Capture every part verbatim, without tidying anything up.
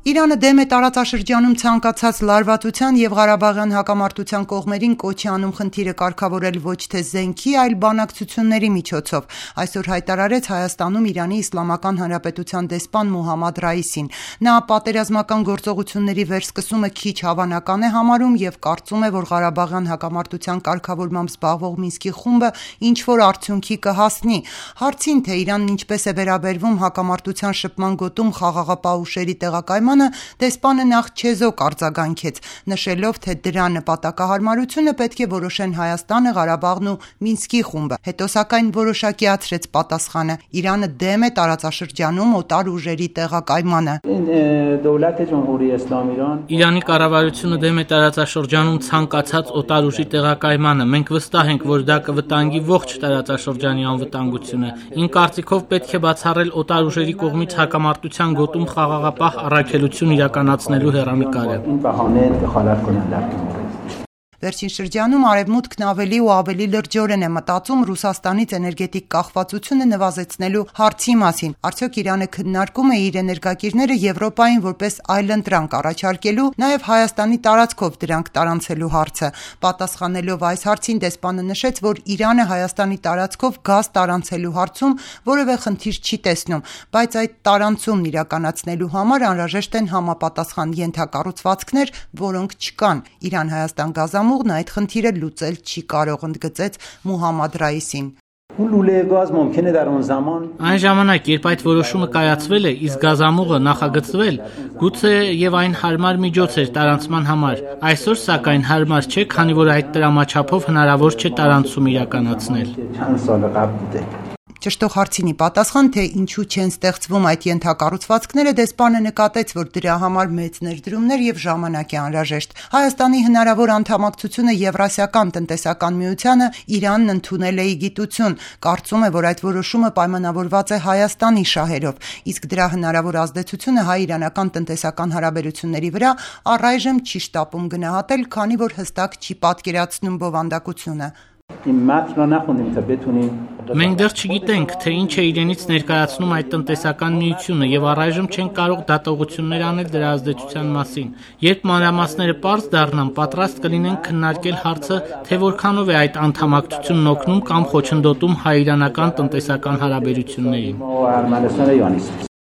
Իրանը դեմ է տարածաշրջանում ցանկացած լարվածության և Ղարաբաղյան հակամարտության կողմերին կոչի անում խնդիրը կարգավորել ոչ թե զենքի, այլ բանակցությունների միջոցով, այսօր հայտարարեց Հայաստանում Իրանի Իսլամական Հանրապետության դեսպան Մոհամմադ Ռայիսին։ Նա պատերազմական գործողությունների վերսկսումը քիչ հավանական է համարում և կարծում է, որ Ղարաբաղյան հակամարտության կարգավորմամբ զբաղվող Մինսկի խումբը ինչ-որ արդյունքի կհասնի։ Հարցին, թե Իրանն ինչպես է վերաբերվում հակամարտության շփման գոտում խաղաղապահ ուժերի տեղակայմանը, դեսպանը նախ չեզոք արձագանքեց, նշելով, թե դրա նպատակահարմարությունը պետք է որոշեն Հայաստանը, Ղարաբաղն ու Մինսկի խումբը։ Հետո սակայն որոշակիացրեց պատասխանը. Իրանը դեմ է տարածաշրջանում օտար ուժերի տեղակայմանը։ Իրանի կառավարությունը դեմ է տարածաշրջանում ցանկացած օտար ուժի տեղակայմանը։ Մենք վստահ ենք, որ դա կվտանգի ողջ տարածաշրջանի անվտանգությունը։ Իմ կարծիքով պետք է բացառել օտար ուժերի կողմից հակամարտության գոտում խաղաղապահ առաքելություն իրականացնելու հեռանկարը։ Վերջին շրջանում Արևմուտքն ավելի ու ավելի լրջորեն է մտածում Ռուսաստանից էներգետիկ կախվածությունը նվազեցնելու հարցի մասին։ Արդյոք Իրանը քննարկում է իր էներգակիրները Եվրոպային որպես այլընտրանք առաջարկելու, նաև Հայաստանի տարածքով դրանք տարանցելու հարցը։ Պատասխանելով այս հարցին դեսպանը նշեց, որ Իրանը Հայաստանի տարածքով գազ տարանցելու հարցում որևէ խնդիր չի տեսնում, բայց այդ տարանցումն իրականացնելու համար անհրաժեշտ են համապատասխան ենթակառուցվածքներ, որոնք չկան։ Իրան-Հայաստան գազամուղ Ուղն այդ խնդիրը լուծել չի կարող, ընդգծեց Մոհամմադ Ռայիսին։ Այն ժամանակ, երբ այդ որոշումը կայացվել է, իսկ գազամուղը նախագծվել, գուցե եւ այն հարմար միջոց էր տարանցման համար։ Այսօր սակայն հարմար չէ, քանի որ այդ տրամաչափով հնարավոր չէ տարանցում իրականացնել։ Ճշտող հարցինի պատասխան, թե ինչու չեն ստեղծվում այդ ենթակառուցվածքները, դեսպանը նկատեց, որ դրա համար մեծ ներդրումներ և ժամանակ է անհրաժեշտ։ Հայաստանի հնարավոր անդամակցությունը Եվրասիական տնտեսական միությանը Իրանն ընդունել է ի գիտություն, կարծում է, որ այդ որոշումը պայմանավորված է Հայաստանի շահերով, իսկ դրա հնարավոր ազդեցությունը հայ-իրանական տնտեսական հարաբերությունների վրա առայժմ չի շտապում գնահատել, քանի որ հստակ չի պատկերացնում բովանդակությունը։ Մենք դեռ չգիտենք, թե ինչ է իրենից ներկայացնում այդ տնտեսական միությունը և առայժմ չենք կարող դատողություններ անել դրա ազդեցության մասին։ Երբ մանրամասները պարզ դառնան, պատրաստ կլինենք քննարկել հարցը, թե որքանով է այդ անդամակցությունն օգնում կամ խոչընդոտում հայ-իրանական տնտեսական հարաբերություններին։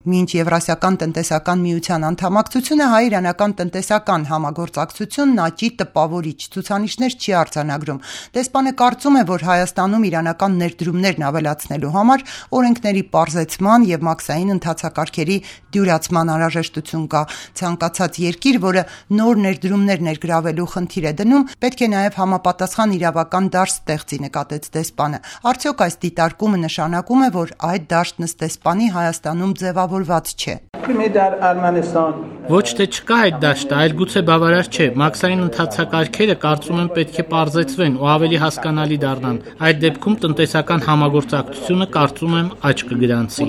Մինչ Եվրասիական տնտեսական միության անդամակցությունը հայ-իրանական տնտեսական համագործակցությունն աճի տպավորիչ ցուցանիշներ չի արձանագրում։ Դեսպանը կարծում է, որ Հայաստանում իրանական ներդրումներն ավելացնելու համար օրենքների պարզեցման և մաքսային ընթացակարգերի դյուրացման անհրաժեշտություն կա։ Ցանկացած երկիր, որը նոր ներդրումներ ներգրավելու խնդիր է դնում, պետք է նաև համապատասխան իրավական դաշտ ստեղծի, նկատեց դեսպանը։ Արդյոք այս դիտարկումը նշանակում է, որ այդ դաշտն ըստ դեսպանի Հայաստանում ձևավորված չէ։ Ոչ թե չկա այդ դաշտը, այլ գուցե բավարար չէ։ Մաքսային ընթացակարգերը կարծում եմ պետք է պարզեցվեն ու ավելի հասկանալի դառնան։ Այդ դեպքում տնտեսական համագործակցությունը կարծում եմ աճ կգրանցի։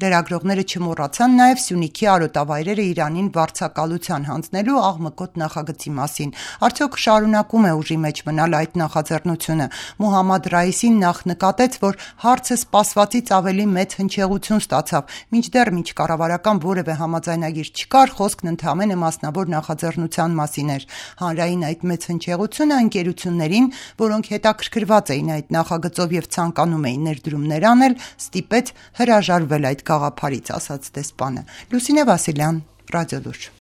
Լրագրողները չմոռացան նաև Սյունիքի արոտավայրերը Իրանին վարձակալության հանձնելու աղմկոտ նախագծի մասին։ Արդյոք շարունակում է ուժի մեջ մնալ այդ նախաձեռնությունը։ Մոհամմադ Ռայիսին նախ նկատեց, որ հարցը սպասվածից ավելի մեծ հնչեղություն ստացավ, մինչդեռ մինչ կառավարական որևէ համաձայնագիր չկար, խոսքն ընդհանրապես մասնավոր նախաձեռնության մասին էր։ Հանրային այդ մեծ հնչեղությունը ընկերություններին, որոնք հետաքրքրված էին այդ նախագծով և ցանկանում էին ներդրումներ անել, ստիպեց հրաժարվել այդ գաղափարից, ասաց դեսպանը։ Լուսինե Վասիլյան, Ռադիոլուր։